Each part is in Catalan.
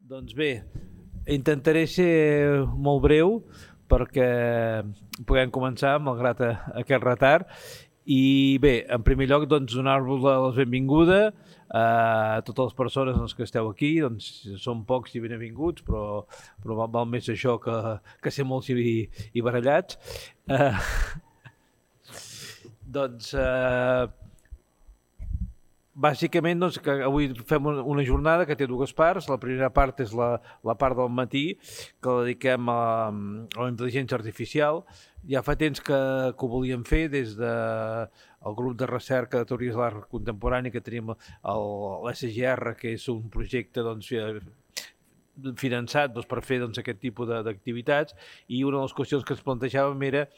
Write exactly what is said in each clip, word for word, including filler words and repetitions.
Doncs bé, intentaré ser molt breu perquè puguem començar malgrat aquest retard. I bé, en primer lloc, doncs, donar-vos la benvinguda a totes les persones doncs, que esteu aquí. Doncs, són pocs i benvinguts, però, però val, val més això que, que ser molts i, i barallats. Eh, doncs, eh, bàsicament, doncs, que avui fem una jornada que té dues parts. La primera part és la, la part del matí, que la dediquem a, a la intel·ligència artificial. Ja fa temps que, que ho volíem fer des de el grup de recerca de teories de l'art contemporani que tenim l'S G R, que és un projecte doncs, finançat doncs, per fer doncs, aquest tipus d'activitats, i una de les qüestions que ens plantejàvem era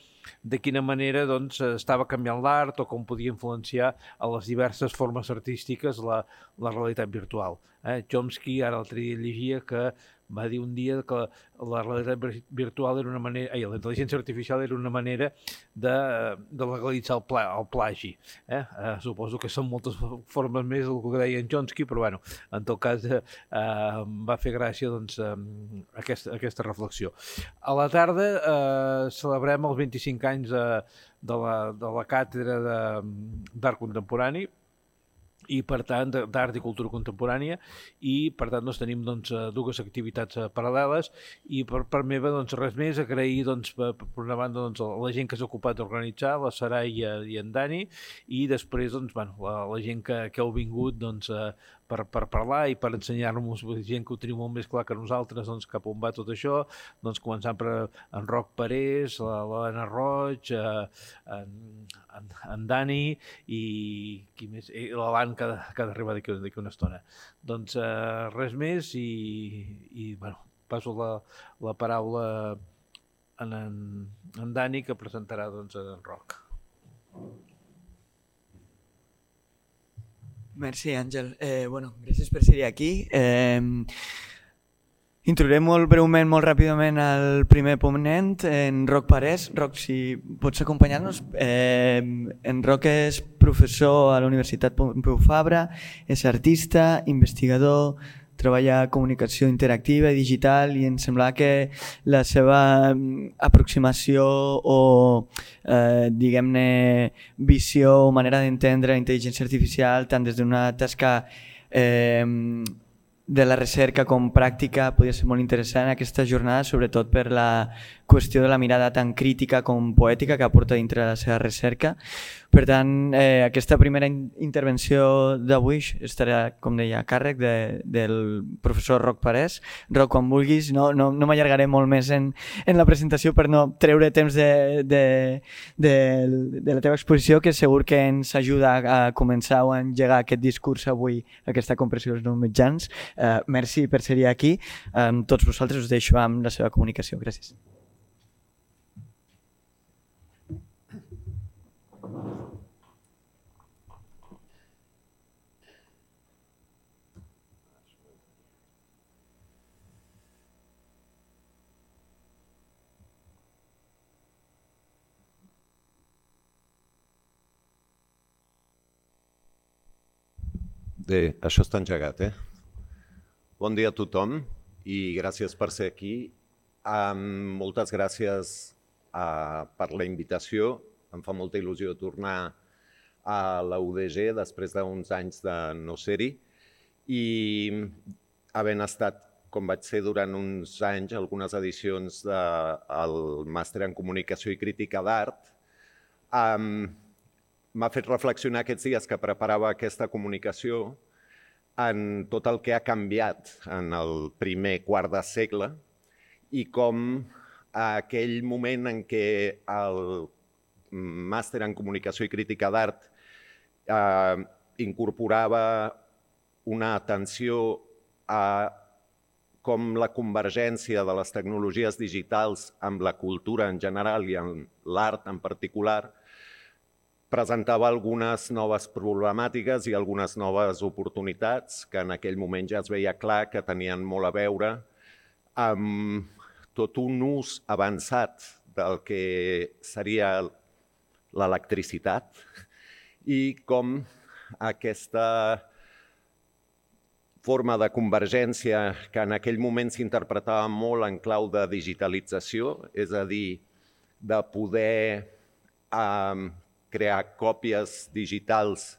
de quina manera doncs, estava canviant l'art o com podia influenciar a les diverses formes artístiques la, la realitat virtual. Eh? Chomsky, ara l'altre dia llegia que va dir un dia que la realitat virtual era una manera, ai, la intel·ligència artificial era una manera de, de legalitzar el, pla, el plagi. Eh? Eh, suposo que són moltes formes més del que deia en Chomsky, però bueno, en tot cas eh, va fer gràcia doncs, eh, aquesta, aquesta reflexió. A la tarda eh, celebrem els vint-i-cinc anys de, de, la, de la càtedra d'art contemporani, i per tant d'art i cultura contemporània, i per tant doncs, tenim doncs, dues activitats paral·leles, i per part meva doncs, res més, agrair doncs, per, per una banda doncs, la gent que s'ha ocupat d'organitzar, la Sarai i en Dani, i després doncs, bueno, la, la gent que, que heu vingut doncs, per, per parlar i per ensenyar-nos, gent que ho teniu molt més clar que nosaltres, doncs, cap on va tot això, doncs, començant per en Roc Parés, l'Helena Roig, en, en, en Dani i qui més, l'Alan que, que ha d'arribar d'aquí una estona. Doncs eh, res més i, i bueno, passo la, la paraula en, en, en Dani, que presentarà doncs, en Roc. Merci, Àngel. Eh, bueno, gràcies per ser aquí. Eh, introduiré molt breument, molt ràpidament el primer ponent, en Roc Parés. Roc, si pots acompanyar-nos. Eh, en Roc és professor a la Universitat Pompeu Fabra, és artista, investigador, treballa comunicació interactiva i digital, i em sembla que la seva aproximació o eh, diguem-ne visió o manera d'entendre la intel·ligència artificial tant des d'una tasca eh, de la recerca com pràctica podria ser molt interessant aquesta jornada, sobretot per la qüestió de la mirada tan crítica com poètica que aporta dintre de la seva recerca. Per tant, eh, aquesta primera in intervenció d'avui estarà, com deia, a càrrec de, del professor Roc Parés. Roc, quan vulguis, no, no, no m'allargaré molt més en, en la presentació per no treure temps de, de, de, de la teva exposició, que segur que ens ajuda a començar o a engegar aquest discurs avui, aquesta compressió dels nous mitjans. Eh, merci per ser aquí. Amb tots vosaltres us deixo amb la seva comunicació. Gràcies. Bé, això està engegat, eh? Bon dia a tothom i gràcies per ser aquí. Um, moltes gràcies uh, per la invitació. Em fa molta il·lusió tornar a la U D G després d'uns anys de no ser-hi i havent estat, com vaig ser durant uns anys, algunes edicions del màster en comunicació i crítica d'art, um, m'ha fet reflexionar aquests dies que preparava aquesta comunicació en tot el que ha canviat en el primer quart de segle i com aquell moment en què el màster en comunicació i crítica d'art eh, incorporava una atenció a com la convergència de les tecnologies digitals amb la cultura en general i en l'art en particular presentava algunes noves problemàtiques i algunes noves oportunitats que en aquell moment ja es veia clar que tenien molt a veure amb tot un ús avançat del que seria l'electricitat i com aquesta forma de convergència que en aquell moment s'interpretava molt en clau de digitalització, és a dir, de poder eh, crear còpies digitals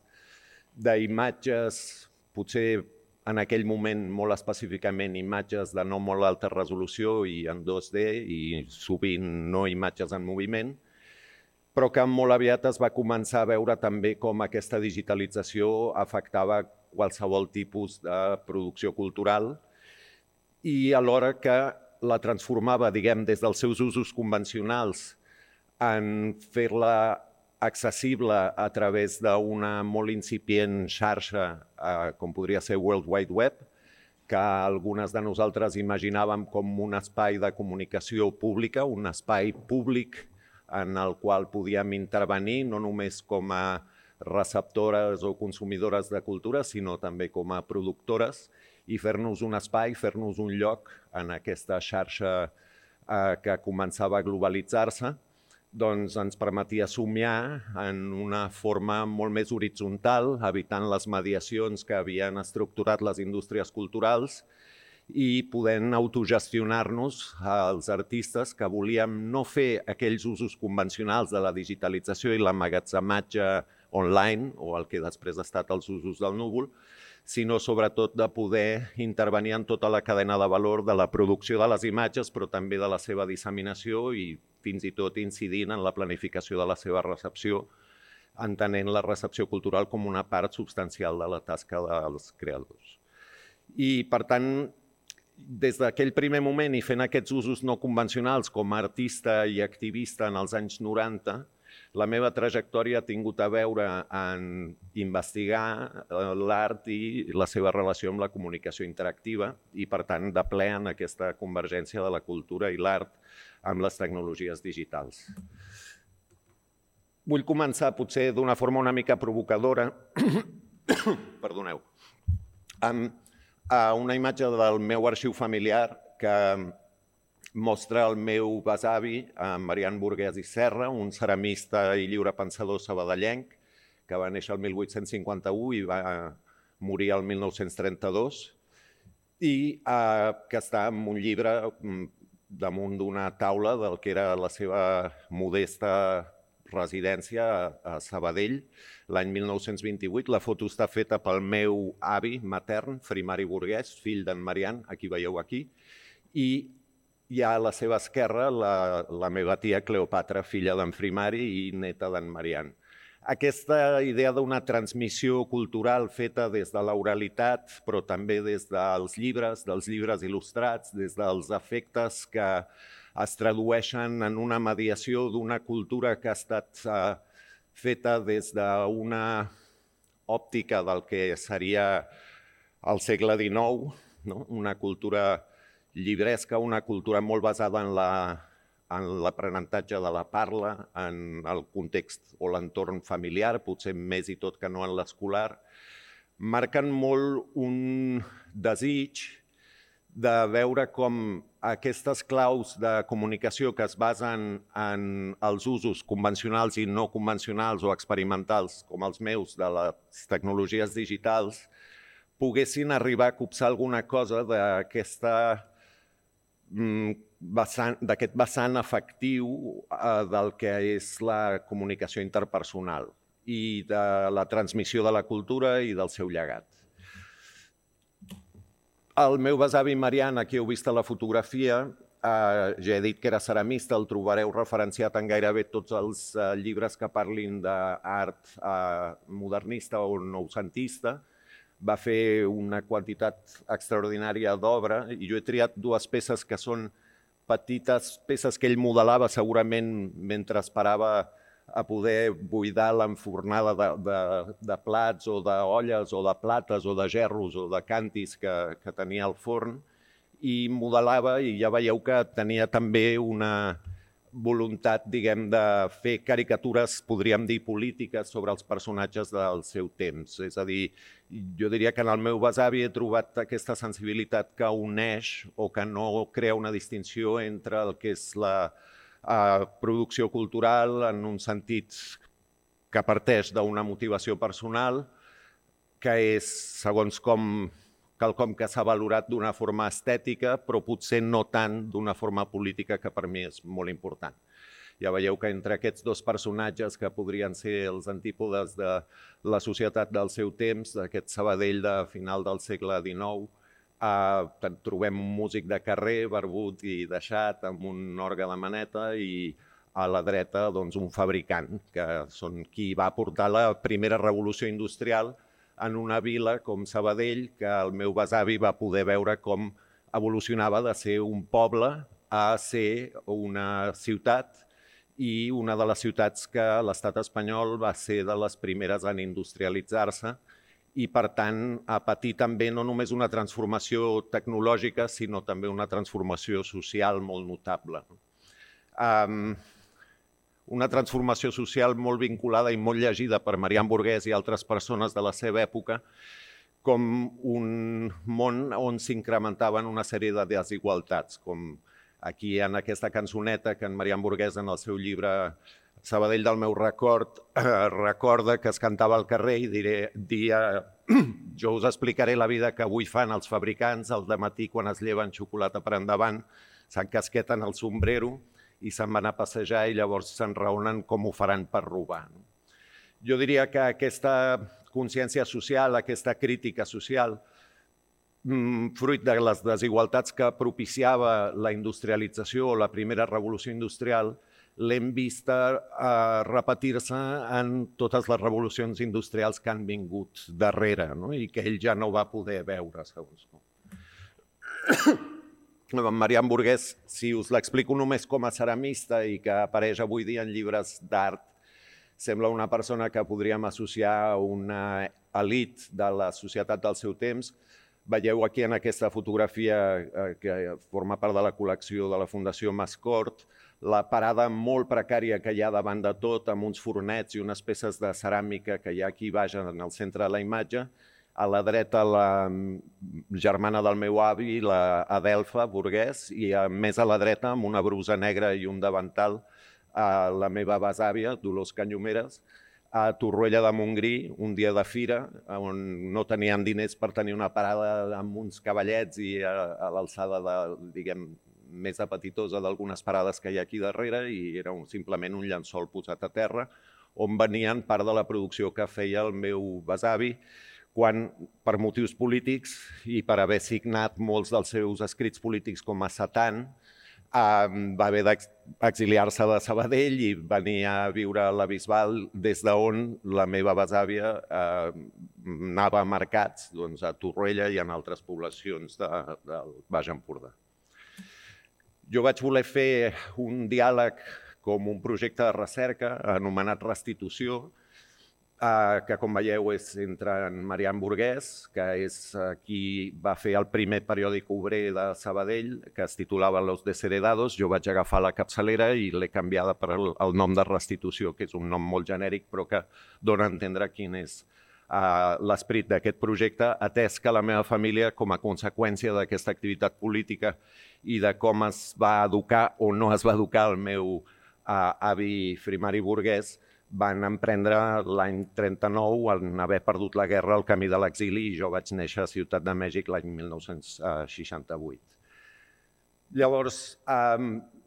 d'imatges, potser en aquell moment molt específicament imatges de no molt alta resolució i en dos D i sovint no imatges en moviment, però que molt aviat es va començar a veure també com aquesta digitalització afectava qualsevol tipus de producció cultural i alhora que la transformava, diguem, des dels seus usos convencionals en fer-la accessible a través d'una molt incipient xarxa, eh, com podria ser World Wide Web, que algunes de nosaltres imaginàvem com un espai de comunicació pública, un espai públic en el qual podíem intervenir, no només com a receptores o consumidores de cultura, sinó també com a productores, i fer-nos un espai, fer-nos un lloc en aquesta xarxa eh, que començava a globalitzar-se, doncs ens permetia somiar en una forma molt més horitzontal, evitant les mediacions que havien estructurat les indústries culturals i podent autogestionar-nos als artistes que volíem no fer aquells usos convencionals de la digitalització i l'emmagatzematge online, o el que després ha estat els usos del núvol, sinó sobretot de poder intervenir en tota la cadena de valor de la producció de les imatges, però també de la seva disseminació i fins i tot incidint en la planificació de la seva recepció, entenent la recepció cultural com una part substancial de la tasca dels creadors. I, per tant, des d'aquell primer moment i fent aquests usos no convencionals com a artista i activista en els anys noranta, la meva trajectòria ha tingut a veure en investigar l'art i la seva relació amb la comunicació interactiva i, per tant, de ple en aquesta convergència de la cultura i l'art amb les tecnologies digitals. Vull començar, potser d'una forma una mica provocadora, perdoneu, amb una imatge del meu arxiu familiar que mostra el meu besavi, Marian Burguès i Serra, un ceramista i lliurepensador sabadellenc que va néixer el mil vuit-cents cinquanta-u i va morir el mil nou-cents trenta-dos i que està en un llibre damunt d'una taula del que era la seva modesta residència a Sabadell l'any mil nou-cents vint-i-vuit. La foto està feta pel meu avi matern, Frimari Burguès, fill d'en Marian, a qui veieu aquí, i hi ha a la seva esquerra la, la meva tia Cleopatra, filla d'en Frimari i neta d'en Marian. Aquesta idea d'una transmissió cultural feta des de l'oralitat, però també des dels llibres, dels llibres il·lustrats, des dels efectes que es tradueixen en una mediació d'una cultura que ha estat eh, feta des d'una òptica del que seria el segle dinou, no? Una cultura llibresca, una cultura molt basada en la en l'aprenentatge de la parla, en el context o l'entorn familiar, potser més i tot que no en l'escolar, marquen molt un desig de veure com aquestes claus de comunicació que es basen en els usos convencionals i no convencionals o experimentals, com els meus, de les tecnologies digitals, poguessin arribar a copsar alguna cosa d'aquesta d'aquest vessant afectiu del que és la comunicació interpersonal i de la transmissió de la cultura i del seu llegat. El meu besavi Marian, aquí heu vist a la fotografia, ja he dit que era ceramista, el trobareu referenciat en gairebé tots els llibres que parlin d'art modernista o noucentista. Va fer una quantitat extraordinària d'obra i jo he triat dues peces que són petites peces que ell modelava segurament mentre esperava a poder buidar l'enfornada de, de, de plats o d'olles o de plates o de gerros o de cantis que, que tenia al forn i modelava i ja veieu que tenia també una voluntat, diguem, de fer caricatures, podríem dir, polítiques sobre els personatges del seu temps. És a dir, jo diria que en el meu besavi he trobat aquesta sensibilitat que uneix o que no crea una distinció entre el que és la uh, producció cultural en un sentit que parteix d'una motivació personal, que és segons com quelcom que s'ha valorat d'una forma estètica, però potser no tant d'una forma política, que per mi és molt important. Ja veieu que entre aquests dos personatges, que podrien ser els antípodes de la societat del seu temps, d'aquest Sabadell de final del segle dinou, eh, trobem un músic de carrer, barbut i deixat, amb un orgue de maneta, i a la dreta doncs, un fabricant, que són qui va portar la primera revolució industrial en una vila com Sabadell, que el meu besavi va poder veure com evolucionava de ser un poble a ser una ciutat, i una de les ciutats que l'estat espanyol va ser de les primeres en industrialitzar-se i, per tant, a patir també no només una transformació tecnològica, sinó també una transformació social molt notable. Um, una transformació social molt vinculada i molt llegida per Marian Burguès i altres persones de la seva època com un món on s'incrementaven una sèrie de desigualtats, com aquí en aquesta cançoneta que en Marian Burguès en el seu llibre Sabadell del meu record eh, recorda que es cantava al carrer i diré, dia, jo us explicaré la vida que avui fan els fabricants al dematí quan es lleven xocolata per endavant, s'encasqueten el sombrero i se'n van a passejar i llavors s'enraonen com ho faran per robar. Jo diria que aquesta consciència social, aquesta crítica social, fruit de les desigualtats que propiciava la industrialització o la primera revolució industrial, l'hem vista eh, repetir-se en totes les revolucions industrials que han vingut darrere, no? I que ell ja no va poder veure, segons. En Marian Burguès, si us l'explico només com a ceramista i que apareix avui dia en llibres d'art, sembla una persona que podríem associar a una elit de la societat del seu temps. Veieu aquí en aquesta fotografia que forma part de la col·lecció de la Fundació Mascort la parada molt precària que hi ha davant de tot, amb uns fornets i unes peces de ceràmica que hi ha aquí baix en el centre de la imatge. A la dreta la germana del meu avi, la Adelfa Burguès, i més a la dreta, amb una brusa negra i un davantal, la meva besàvia, Dolors Canyomeres, a Torroella de Montgrí, un dia de fira, on no tenien diners per tenir una parada amb uns cavallets i a, a l'alçada de, diguem, més apetitosa d'algunes parades que hi ha aquí darrere, i era un, simplement un llençol posat a terra, on venien part de la producció que feia el meu besavi, quan, per motius polítics i per haver signat molts dels seus escrits polítics com a Satan, va haver d'exiliar-se de Sabadell i venir a viure a la Bisbal, des d'on la meva besàvia anava a mercats, a Torroella i en altres poblacions del Baix Empordà. Jo vaig voler fer un diàleg com un projecte de recerca anomenat Restitució, que, com veieu, és entre en Marian Burguès, que és qui va fer el primer periòdic obrer de Sabadell, que es titulava Los Desheredados. Jo vaig agafar la capçalera i l'he canviada per el nom de Restitució, que és un nom molt genèric, però que dona a entendre quin és l'esperit d'aquest projecte, atès que la meva família, com a conseqüència d'aquesta activitat política i de com es va educar o no es va educar el meu avi Frimari Burguès, van emprendre l'any trenta-nou, en haver perdut la guerra, el camí de l'exili, i jo vaig néixer a Ciutat de Mèxic l'any mil nou-cents seixanta-vuit. Llavors,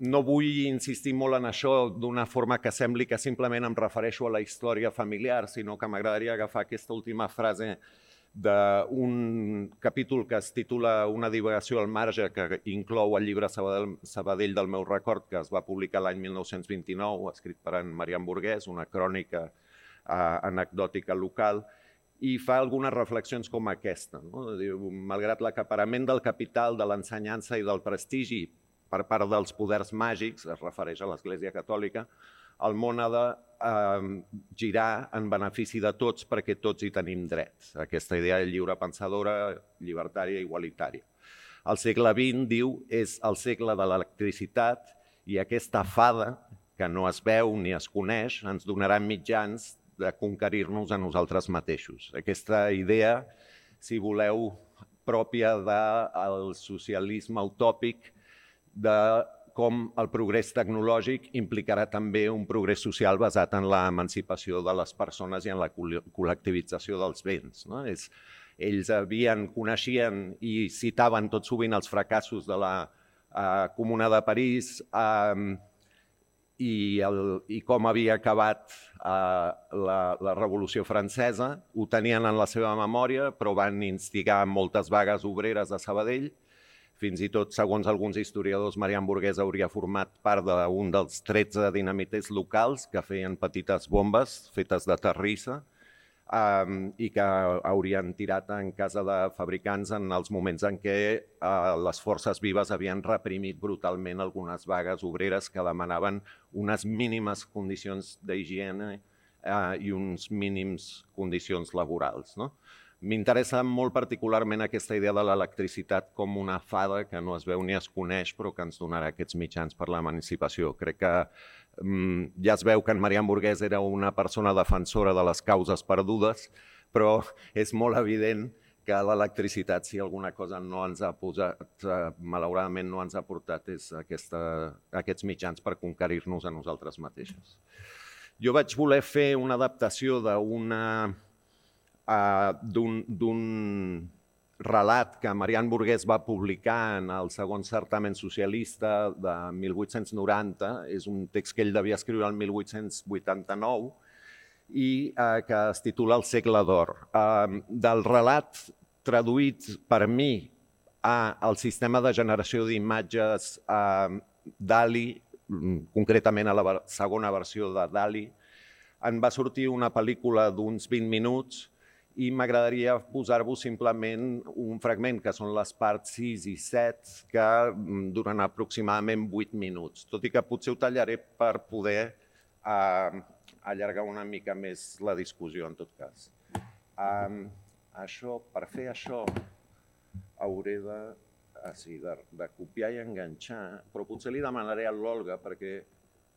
no vull insistir molt en això d'una forma que sembli que simplement em refereixo a la història familiar, sinó que m'agradaria agafar aquesta última frase d'un capítol que es titula Una divagació al marge, que inclou el llibre Sabadell del meu record, que es va publicar l'any mil nou-cents vint-i-nou, escrit per en Marian Burguès, una crònica anecdòtica local, i fa algunes reflexions com aquesta. Malgrat l'acaparament del capital, de l'ensenyança i del prestigi per part dels poders màgics, es refereix a l'Església Catòlica, el món ha de girar en benefici de tots perquè tots hi tenim drets. Aquesta idea lliure pensadora, llibertària i igualitària. El segle vint, diu, és el segle de l'electricitat i aquesta fada, que no es veu ni es coneix, ens donarà mitjans de conquerir-nos a nosaltres mateixos. Aquesta idea, si voleu, pròpia del socialisme utòpic, de com el progrés tecnològic implicarà també un progrés social basat en l'emancipació de les persones i en la col·lectivització dels béns. ells havien, coneixien i citaven tot sovint els fracassos de la uh, Comuna de París uh, i, el, i com havia acabat uh, la, la Revolució Francesa. Ho tenien en la seva memòria, però van instigar moltes vagues obreres a Sabadell. Fins i tot, segons alguns historiadors, Marian Burguès hauria format part d'un dels tretze dinamiters locals que feien petites bombes fetes de terrissa um, i que haurien tirat en casa de fabricants en els moments en què uh, les forces vives havien reprimit brutalment algunes vagues obreres que demanaven unes mínimes condicions d'higiene uh, i uns mínims condicions laborals, no? M'interessa molt particularment aquesta idea de l'electricitat com una fada que no es veu ni es coneix, però que ens donarà aquests mitjans per l'emancipació. Crec que um, ja es veu que en Marian Burguès era una persona defensora de les causes perdudes, però és molt evident que l'electricitat, si alguna cosa no ens ha posat, malauradament no ens ha portat, és aquesta, aquests mitjans per conquerir-nos a nosaltres mateixos. Jo vaig voler fer una adaptació d'una... Uh, d'un relat que Marian Burguès va publicar en el segon certamen socialista de mil vuit-cents noranta. És un text que ell devia escriure el mil vuit-cents vuitanta-nou i uh, que es titula El segle d'or. Uh, del relat traduït per mi al sistema de generació d'imatges uh, DALL-E, concretament a la segona versió de DALL-E, en va sortir una pel·lícula d'uns vint minuts i m'agradaria posar-vos simplement un fragment, que són les parts sis i set, que duren aproximadament vuit minuts, tot i que potser ho tallaré per poder uh, allargar una mica més la discussió, en tot cas. Um, això, per fer això, hauré de, ah, sí, de, de copiar i enganxar, però potser li demanaré a l'Olga, perquè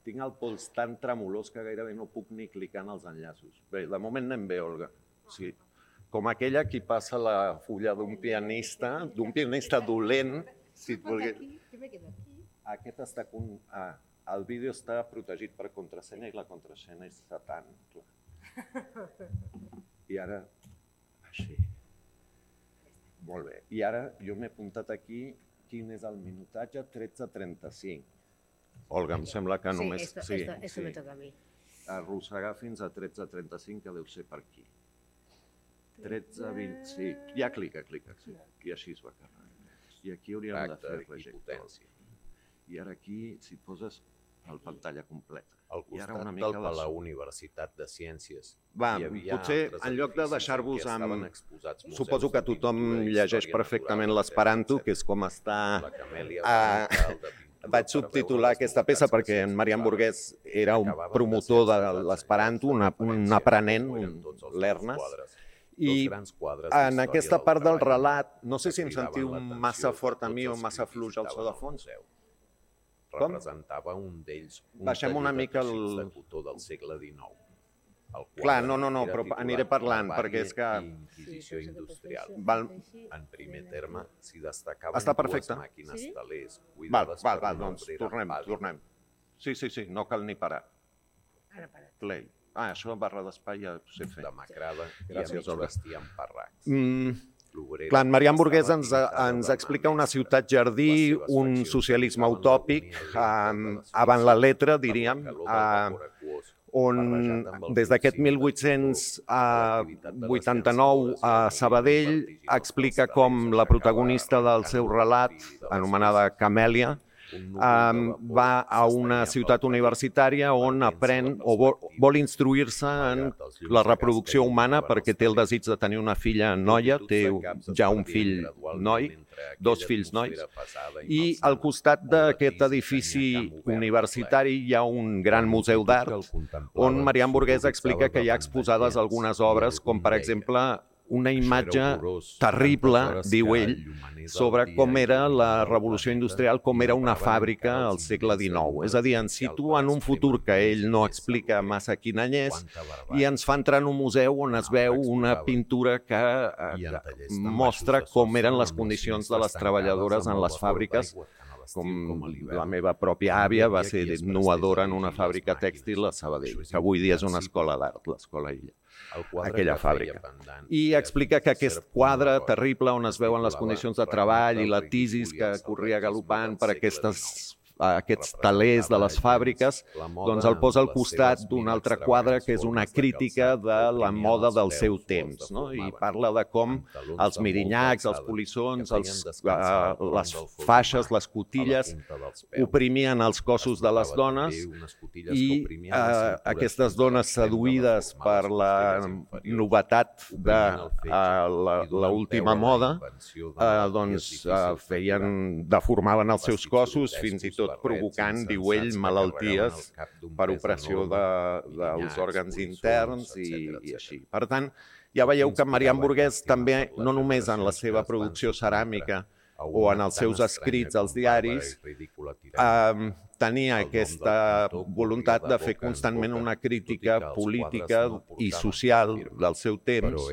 tinc el pols tan tremolós que gairebé no puc ni clicar en els enllaços. Bé, de moment anem bé, Olga. Sí. Com aquella qui passa la fulla d'un pianista, d'un pianista dolent, si et volgués... Aquest està... Con... Ah, el vídeo està protegit per contrasenya i la contrasenya és satan. I ara... Així. Molt bé. I ara jo m'he apuntat aquí quin és el minutatge, tretze trenta-cinc. Olga, em sembla que només... Sí, esto, esto, esto sí. Me toca a mi. Arrossegar fins a tretze trenta-cinc, que deu ser per aquí. tretze, vint, sí, ja clica, clica, sí. I així es va carregar. I aquí hauríem de fer rejectors. I ara aquí, si poses el pantalla completa. Al costat del Palau Universitat de Ciències. Va, potser en lloc de deixar-vos amb... Suposo que tothom llegeix perfectament l'esperanto, que és com està... Vaig subtitular aquesta peça perquè en Marian Burguès era un promotor de l'esperanto, un aprenent, un lernes. I en aquesta part del relat, no sé si em sentiu massa fort a mi o massa fluix al so de fons. Com? Representava un d'ells, un taller de teixits de cotó del segle dinou. Clar, no, no, no, però aniré parlant, perquè és que... Inquisició industrial. En primer terme, s'hi destacaven dues màquines telers. Val, val, val, doncs tornem, tornem. Sí, sí, sí, no cal ni parar. Ara para. Play. Ah, això barra d'espai ja ho sé fer. Demacrada i a mig vestir amb parracs. Clar, en Marian Burguès ens, ens explica una ciutat jardí, un socialisme utòpic, avant la letra, diríem, on des d'aquest mil vuit-cents vuitanta-nou a Sabadell explica com la protagonista del seu relat, anomenada Camèlia, va a una ciutat universitària on aprèn o vol instruir-se en la reproducció humana perquè té el desig de tenir una filla noia, té ja un fill noi, dos fills nois, i al costat d'aquest edifici universitari hi ha un gran museu d'art on Marian Burguès explica que hi ha exposades algunes obres, com per exemple una imatge terrible, diu ell, sobre com era la revolució industrial, com era una fàbrica al segle dinou. És a dir, ens situa en un futur que ell no explica massa quin any és i ens fa entrar en un museu on es veu una pintura que mostra com eren les condicions de les treballadores en les fàbriques com la meva pròpia àvia va ser innovadora en una fàbrica tèxtil a Sabadell, que avui dia és una escola d'art, l'Escola Illa, aquella fàbrica. I explica que aquest quadre terrible on es veuen les condicions de treball i la tisis que corria galopant per aquestes aquests talers de les fàbriques, doncs el posa al costat d'un altre quadre que és una crítica de la moda del seu temps, no? I parla de com els mirinyacs, els polissons, els, uh, les faixes, les cotilles, oprimien els cossos de les dones i uh, aquestes dones seduïdes per la novetat de uh, l'última moda, uh, doncs uh, feien, deformaven els seus cossos, fins i tot provocant, diu ell, malalties per opressió dels òrgans interns i així. Per tant, ja veieu que Marian Burguès també, no només en la seva producció ceràmica o en els seus escrits als diaris, tenia aquesta voluntat de fer constantment una crítica política i social del seu temps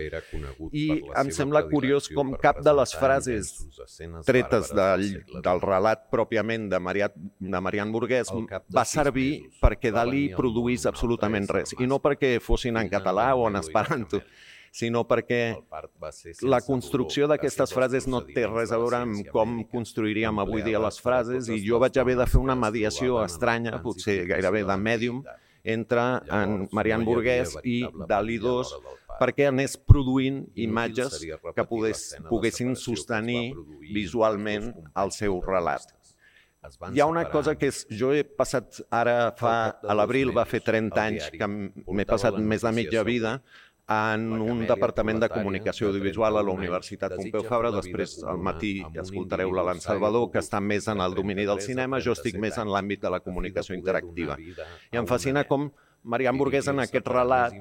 i em sembla curiós com cap de les frases tretes del, del relat pròpiament de, Maria, de Marian Burguès va servir perquè Dalí produís absolutament res, i no perquè fossin en català o en esperanto, sinó perquè la construcció d'aquestes frases no té res a veure amb com construiríem avui dia les frases, i jo vaig haver de fer una mediació estranya, potser gairebé de mèdium, entre en Marian Burguès i Dalí dos, perquè anés produint imatges que poguessin sostenir visualment el seu relat. Hi ha una cosa que és, jo he passat ara fa, a l'abril va fer trenta anys que m'he passat més de mitja vida en un departament de comunicació audiovisual a la Universitat Pompeu Fabra. Després al matí escoltareu l'Alan Salvador, que està més en el domini del cinema, jo estic més en l'àmbit de la comunicació interactiva. I em fascina com Marian Burguès en aquest relat,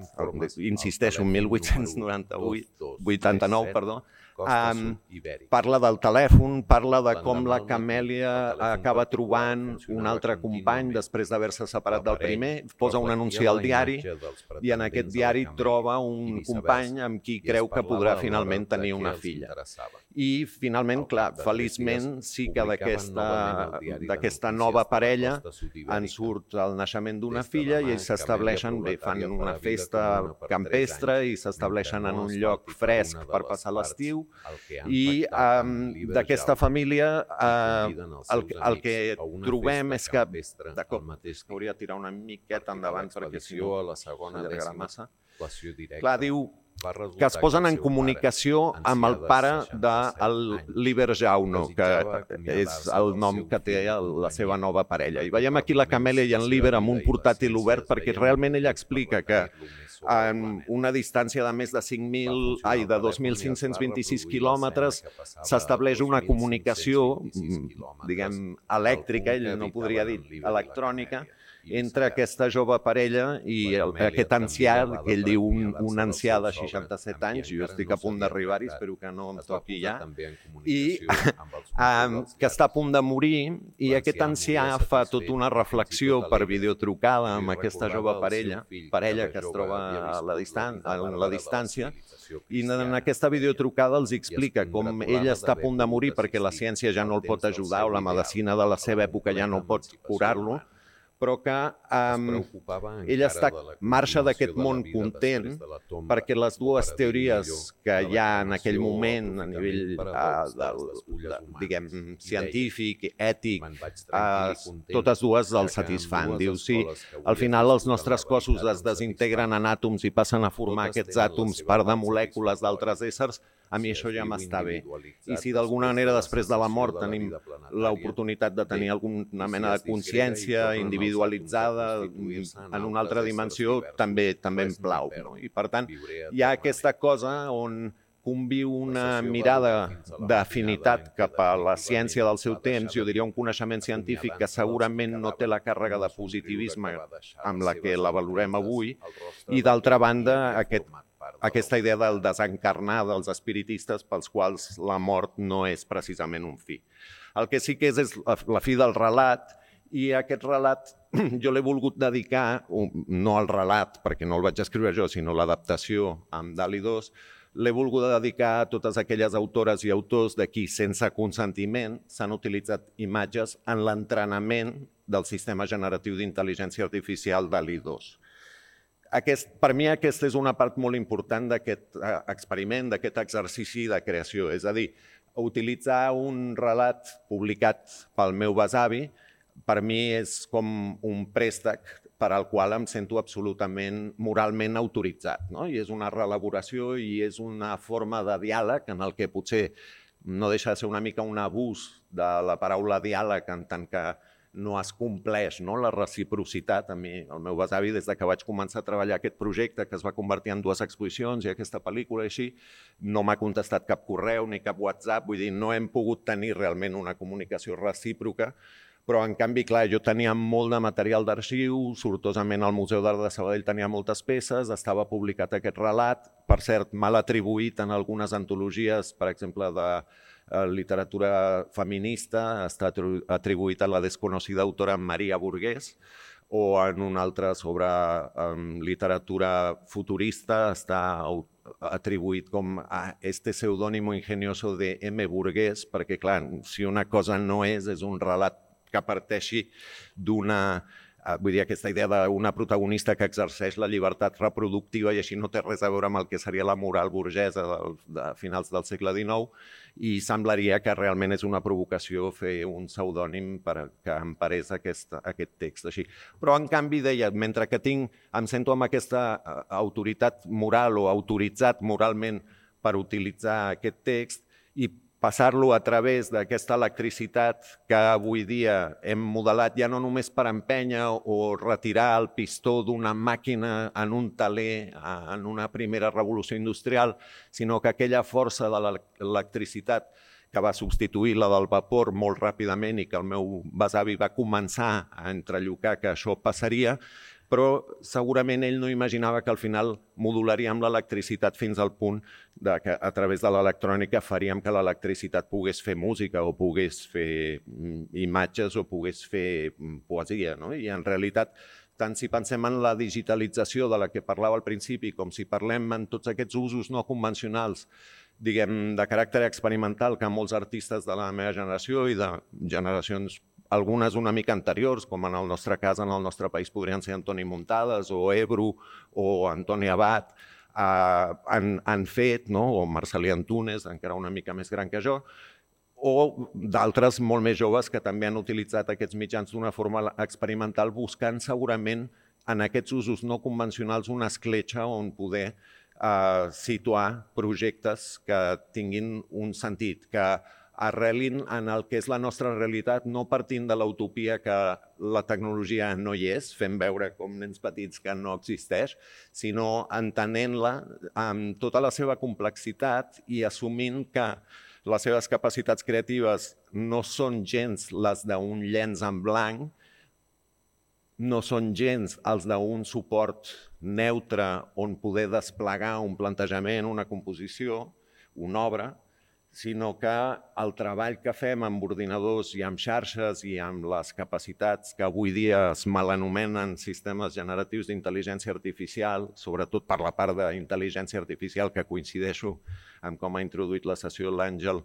insisteixo, mil vuit-cents noranta-vuit, vuitanta-nou, perdó, Um, parla del telèfon, parla de com la Camèlia acaba trobant un altre company després d'haver-se separat del primer, posa un anunci al diari i en aquest diari troba un company amb qui creu que podrà finalment tenir una filla. I finalment, clar, feliçment sí que d'aquesta nova parella en surt el naixement d'una filla i ells s'estableixen, bé, fan una festa campestre i s'estableixen en un lloc fresc per passar l'estiu. I d'aquesta família el que trobem és que, d'acord, hauria de tirar una miqueta endavant perquè si no s'allargarà massa. Clar, diu que es posen en comunicació amb el pare del Liber Jauno, que és el nom que té la seva nova parella. I veiem aquí la Camèlia i en Liber amb un portàtil obert perquè realment ella explica que en una distància de més de cinc mil, ai, de dos mil cinc-cents vint-i-sis quilòmetres s'estableix una comunicació, diguem, elèctrica, ell no podria dir electrònica, entre aquesta jove parella i aquest ancià, que ell diu un ancià de seixanta-set anys, jo estic a punt d'arribar-hi, espero que no em toqui ja, i que està a punt de morir, i aquest ancià fa tota una reflexió per videotrucada amb aquesta jove parella, parella que es troba a la distància, i en aquesta videotrucada els explica com ell està a punt de morir perquè la ciència ja no el pot ajudar o la medicina de la seva època ja no pot curar-lo, però que ell marxa d'aquest món content perquè les dues teories que hi ha en aquell moment a nivell diguem científic, ètic, totes dues el satisfan. Diu, sí, al final els nostres cossos es desintegren en àtoms i passen a formar aquests àtoms part de molècules d'altres éssers, a mi això ja m'està bé. I si d'alguna manera després de la mort tenim l'oportunitat de tenir alguna mena de consciència individualitzada en una altra dimensió, també em plau. I per tant, hi ha aquesta cosa on conviu una mirada d'afinitat cap a la ciència del seu temps, jo diria un coneixement científic que segurament no té la càrrega de positivisme amb la que la valorem avui, i d'altra banda aquest aquesta idea del desencarnar dels espiritistes pels quals la mort no és precisament un fi. El que sí que és és la fi del relat, i aquest relat jo l'he volgut dedicar, no al relat, perquè no el vaig escriure jo, sinó l'adaptació amb Dalí dos, l'he volgut dedicar a totes aquelles autores i autors de qui, sense consentiment, s'han utilitzat imatges en l'entrenament del sistema generatiu d'intel·ligència artificial DALL-E dos. Aquest, per mi aquesta és una part molt important d'aquest experiment, d'aquest exercici de creació. És a dir, utilitzar un relat publicat pel meu besavi per mi és com un préstec per al qual em sento absolutament moralment autoritzat. No? I és una reelaboració i és una forma de diàleg en el que potser no deixa de ser una mica un abús de la paraula diàleg en tant que no es compleix, no? La reciprocitat. A mi, el meu besavi, des que vaig començar a treballar aquest projecte, que es va convertir en dues exposicions i aquesta pel·lícula i així, no m'ha contestat cap correu ni cap WhatsApp, vull dir, no hem pogut tenir realment una comunicació recíproca, però en canvi, clar, jo tenia molt de material d'arxiu, sortosament al Museu d'Art de Sabadell tenia moltes peces, estava publicat aquest relat, per cert, mal atribuït en algunes antologies, per exemple, de literatura feminista, està atribuït a la desconocida autora Maria Burgués, o en un altre sobre um, literatura futurista està atribuït com a este pseudónimo ingenioso de M. Burgués, perquè, clar, si una cosa no és, és un relat que parteixi d'una... Vull dir, aquesta idea d'una protagonista que exerceix la llibertat reproductiva i així no té res a veure amb el que seria la moral burgesa de finals del segle dinou, i semblaria que realment és una provocació fer un pseudònim que emparés aquest, aquest text així. Però, en canvi, deia, mentre que tinc, em sento amb aquesta autoritat moral o autoritzat moralment per utilitzar aquest text i passar-lo a través d'aquesta electricitat que avui dia hem modelat ja no només per empènyer o retirar el pistó d'una màquina en un teler en una primera revolució industrial, sinó que aquella força de l'electricitat que va substituir la del vapor molt ràpidament i que el meu besavi va començar a entrellocar que això passaria, però segurament ell no imaginava que al final modularíem l'electricitat fins al punt que a través de l'electrònica faríem que l'electricitat pogués fer música o pogués fer imatges o pogués fer poesia. I en realitat, tant si pensem en la digitalització de la que parlava al principi com si parlem en tots aquests usos no convencionals, diguem, de caràcter experimental que molts artistes de la meva generació i de generacions algunes una mica anteriors, com en el nostre cas, en el nostre país, podrien ser Antoni Muntades o Ebru o Antoni Abad, eh, han, han fet, no? O Marcelí Antunes, encara una mica més gran que jo, o d'altres molt més joves que també han utilitzat aquests mitjans d'una forma experimental, buscant segurament en aquests usos no convencionals una escletxa on poder eh, situar projectes que tinguin un sentit, que arrelin en el que és la nostra realitat, no partint de l'utopia que la tecnologia no hi és, fent veure com nens petits que no existeix, sinó entenent-la amb tota la seva complexitat i assumint que les seves capacitats creatives no són gens les d'un llenç en blanc, no són gens els d'un suport neutre on poder desplegar un plantejament, una composició, una obra, sinó que el treball que fem amb ordinadors i amb xarxes i amb les capacitats que avui dia es malanomenen sistemes generatius d'intel·ligència artificial, sobretot per la part d'intel·ligència artificial que coincideixo amb com ha introduït la sessió l'Àngel,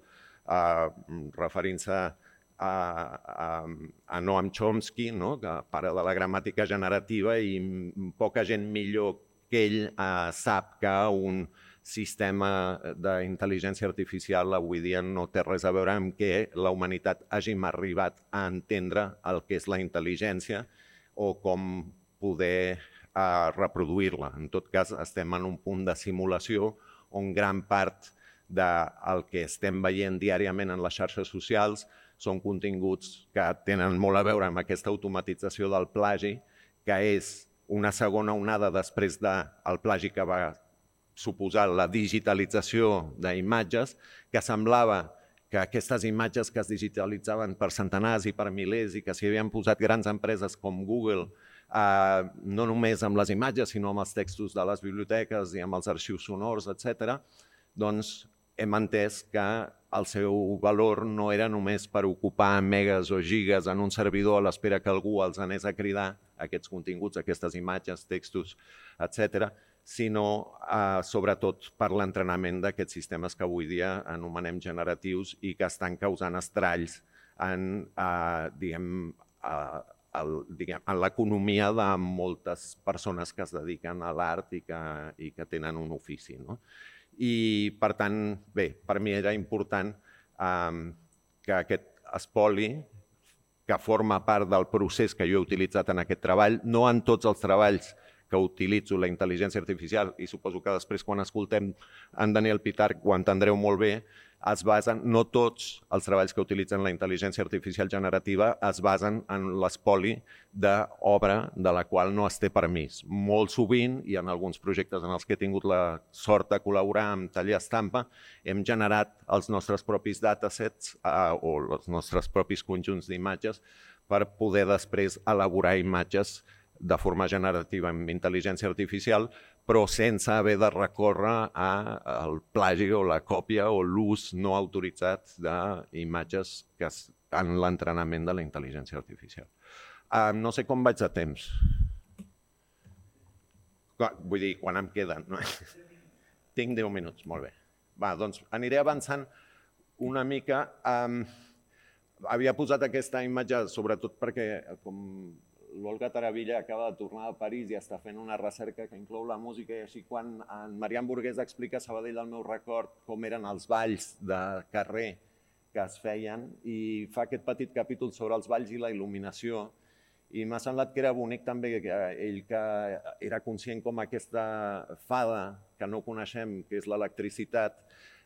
eh, referint-se a, a, a Noam Chomsky, no? Que pare de la gramàtica generativa, i poca gent millor que ell eh, sap que un sistema d'intel·ligència artificial avui dia no té res a veure amb que la humanitat hàgim arribat a entendre el que és la intel·ligència o com poder uh, reproduir-la. En tot cas, estem en un punt de simulació on gran part del que estem veient diàriament en les xarxes socials són continguts que tenen molt a veure amb aquesta automatització del plagi, que és una segona onada després del plagi que va suposar la digitalització d'imatges, que semblava que aquestes imatges que es digitalitzaven per centenars i per milers i que s'hi havien posat grans empreses com Google, eh, no només amb les imatges, sinó amb els textos de les biblioteques i amb els arxius sonors, etcètera, doncs hem entès que el seu valor no era només per ocupar megas o gigas en un servidor a l'espera que algú els anés a cridar aquests continguts, aquestes imatges, textos, etcètera, sinó eh, sobretot per l'entrenament d'aquests sistemes que avui dia anomenem generatius i que estan causant estralls en, eh, diguem, eh, el, diguem, en l'economia de moltes persones que es dediquen a l'art i, que, i que tenen un ofici. No? I, per tant, bé, per mi era important eh, que aquest espoli, que forma part del procés que jo he utilitzat en aquest treball, no en tots els treballs que utilitzo la intel·ligència artificial, i suposo que després quan escoltem en Daniel Pitarch ho entendreu molt bé, es basen, no tots els treballs que utilitzen la intel·ligència artificial generativa es basen en l'espoli d'obra de la qual no es té permís. Molt sovint, i en alguns projectes en els que he tingut la sort de col·laborar amb Taller Estampa, hem generat els nostres propis datasets eh, o els nostres propis conjunts d'imatges per poder després elaborar imatges de forma generativa amb intel·ligència artificial, però sense haver de recórrer al plagi o la còpia o l'ús no autoritzat d'imatges que en l'entrenament de la intel·ligència artificial. Uh, no sé com vaig de temps. Vull dir, quan em queden. No? Tinc deu minuts, molt bé. Va, doncs aniré avançant una mica. Um, havia posat aquesta imatge sobretot perquè, com l'Olga Taravilla acaba de tornar a París i està fent una recerca que inclou la música, i així quan en Marian Burgués explica a Sabadell el meu record com eren els balls de carrer que es feien, i fa aquest petit capítol sobre els balls i la il·luminació, i m'ha semblat que era bonic també que ell, que era conscient com aquesta fada que no coneixem, que és l'electricitat,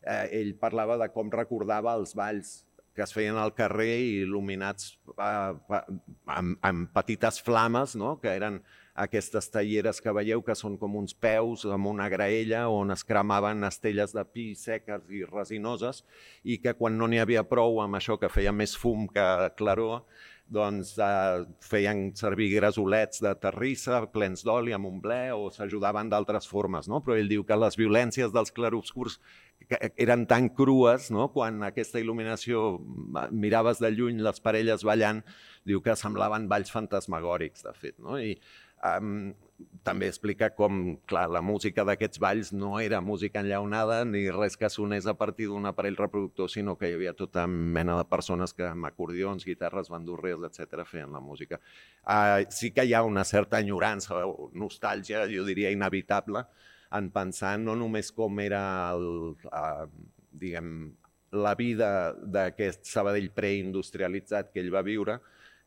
eh, ell parlava de com recordava els balls que es feien al carrer il·luminats eh, amb, amb petites flames, no? Que eren aquestes talleres que veieu que són com uns peus amb una graella on es cremaven estelles de pi seques i resinoses, i que quan no n'hi havia prou amb això que feia més fum que claror, doncs eh, feien servir gresolets de terrissa plens d'oli amb un ble o s'ajudaven d'altres formes. No? Però ell diu que les violències dels clarobscurs eren tan crues, no? Quan aquesta il·luminació miraves de lluny les parelles ballant, diu que semblaven balls fantasmagòrics, de fet. No? I um, també explica com, clar, la música d'aquests balls no era música enllaunada ni res que sonés a partir d'un aparell reproductor, sinó que hi havia tota mena de persones que amb acordions, guitarres, bandurries, etcètera feien la música. Uh, sí que hi ha una certa enyorança o nostàlgia, jo diria inevitable, en pensar no només com era el, uh, diguem, la vida d'aquest Sabadell preindustrialitzat que ell va viure,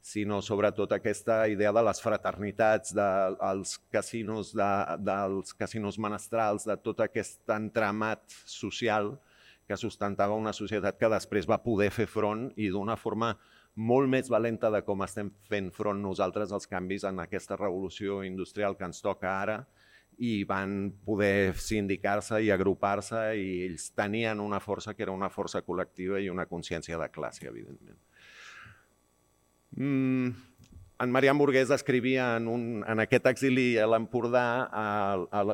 sinó sobretot aquesta idea de les fraternitats, dels casinos, de, dels casinos menestrals, de tot aquest entramat social que sustentava una societat que després va poder fer front i d'una forma molt més valenta de com estem fent front nosaltres als canvis en aquesta revolució industrial que ens toca ara, i van poder sindicar-se i agrupar-se, i ells tenien una força que era una força col·lectiva i una consciència de classe, evidentment. Mm, en Marian Burgués escrivia en, un, en aquest exili a l'Empordà,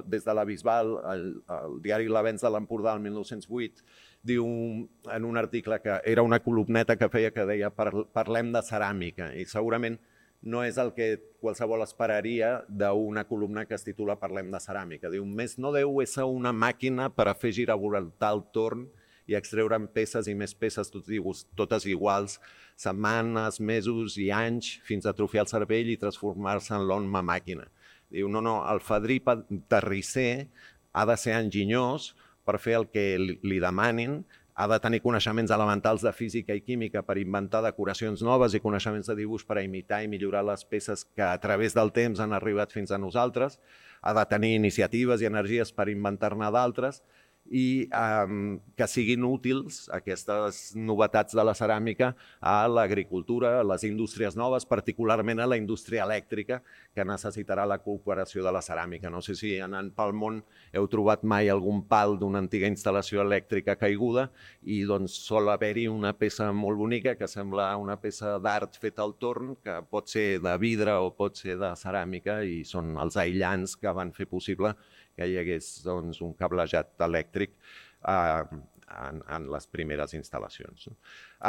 des de la Bisbal, el, el diari L'Avenç de l'Empordà, el mil nou-cents vuit, diu en un article que era una columneta que feia que deia parlem de ceràmica, i segurament no és el que qualsevol esperaria d'una columna que es titula Parlem de ceràmica. Diu, més no deu ésser una màquina per a fer giravoltar el torn i extreure'n peces i més peces totes iguals, setmanes, mesos i anys, fins a atrofiar el cervell i transformar-se en l'home màquina. Diu, no, no, el fadrí terrisser ha de ser enginyós per fer el que li demanin, ha de tenir coneixements elementals de física i química per inventar decoracions noves i coneixements de dibuix per a imitar i millorar les peces que a través del temps han arribat fins a nosaltres, ha de tenir iniciatives i energies per inventar-ne d'altres, i um, que siguin útils aquestes novetats de la ceràmica a l'agricultura, a les indústries noves, particularment a la indústria elèctrica, que necessitarà la cooperació de la ceràmica. No sé si anant pel món heu trobat mai algun pal d'una antiga instal·lació elèctrica caiguda, i doncs sol haver-hi una peça molt bonica que sembla una peça d'art feta al torn, que pot ser de vidre o pot ser de ceràmica, i són els aïllants que van fer possible que hi hagués doncs, un cablejat elèctric eh, en, en les primeres instal·lacions.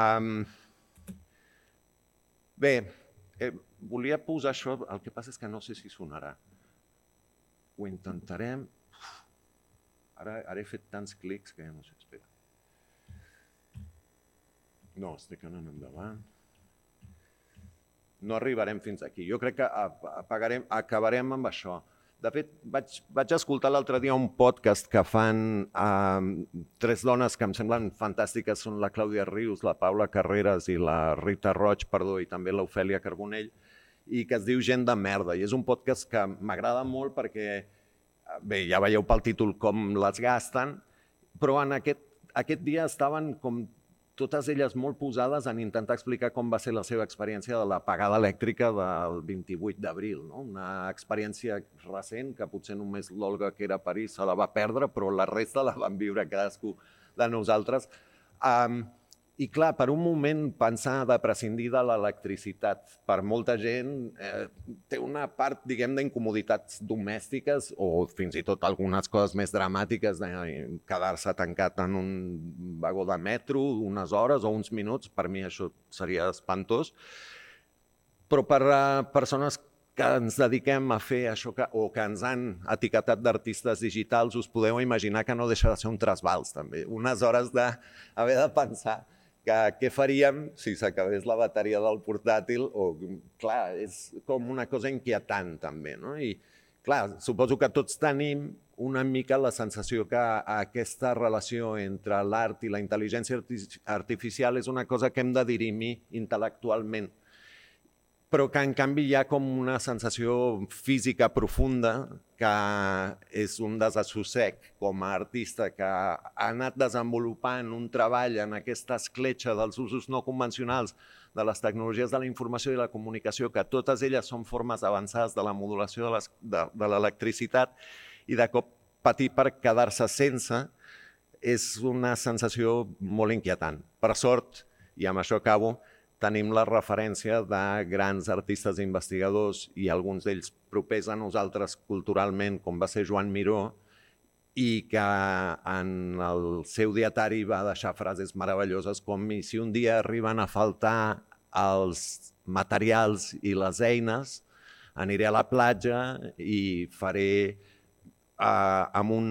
Um, bé, eh, volia posar això, el que passa és que no sé si sonarà. Ho intentarem. Ara, ara he fet tants clics que ja no sé, espera. No, estic anant endavant. No arribarem fins aquí. Jo crec que apagarem, acabarem amb això. De fet, vaig, vaig escoltar l'altre dia un podcast que fan eh, tres dones que em semblen fantàstiques, són la Clàudia Rius, la Paula Carreras i la Rita Roig, perdó, i també l'Ofèlia Carbonell, i que es diu Gent de merda. I és un podcast que m'agrada molt perquè, bé, ja veieu pel títol com les gasten, però en aquest, aquest dia estaven com totes elles molt posades en intentar explicar com va ser la seva experiència de l'apagada elèctrica del vint-i-vuit d'abril. No? Una experiència recent que potser només l'Olga, que era a París, se la va perdre, però la resta la van viure cadascú de nosaltres. Um, I clar, per un moment pensar de prescindir de l'electricitat per molta gent eh, té una part, diguem, d'incomoditats domèstiques o fins i tot algunes coses més dramàtiques, de quedar-se tancat en un vagó de metro unes hores o uns minuts, per mi això seria espantós. Però per a persones que ens dediquem a fer això que, o que ens han etiquetat d'artistes digitals, us podeu imaginar que no deixa de ser un trasbals, també. Unes hores d'haver de pensar que què faríem si s'acabés la bateria del portàtil o, clar, és com una cosa inquietant també, no? I, clar, suposo que tots tenim una mica la sensació que aquesta relació entre l'art i la intel·ligència artificial és una cosa que hem de dirimir intel·lectualment, però que en canvi hi ha com una sensació física profunda que és un desassossec com a artista que ha anat desenvolupant un treball en aquesta escletxa dels usos no convencionals de les tecnologies de la informació i la comunicació, que totes elles són formes avançades de la modulació de, les, de, de l'electricitat, i de cop patir per quedar-se sense és una sensació molt inquietant. Per sort, i amb això acabo, tenim la referència de grans artistes i investigadors i alguns d'ells propers a nosaltres culturalment, com va ser Joan Miró, i que en el seu dietari va deixar frases meravelloses com i si un dia arriben a faltar els materials i les eines, aniré a la platja i faré eh, amb, un,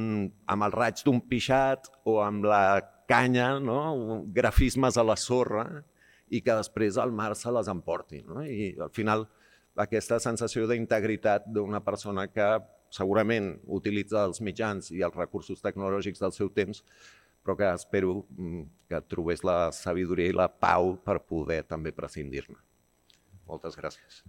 amb el raig d'un pixat o amb la canya, no? Grafismes a la sorra, i que després el mar se les emporti. No? I al final aquesta sensació d'integritat d'una persona que segurament utilitza els mitjans i els recursos tecnològics del seu temps, però que espero que trobés la sabidoria i la pau per poder també prescindir-ne. Moltes gràcies.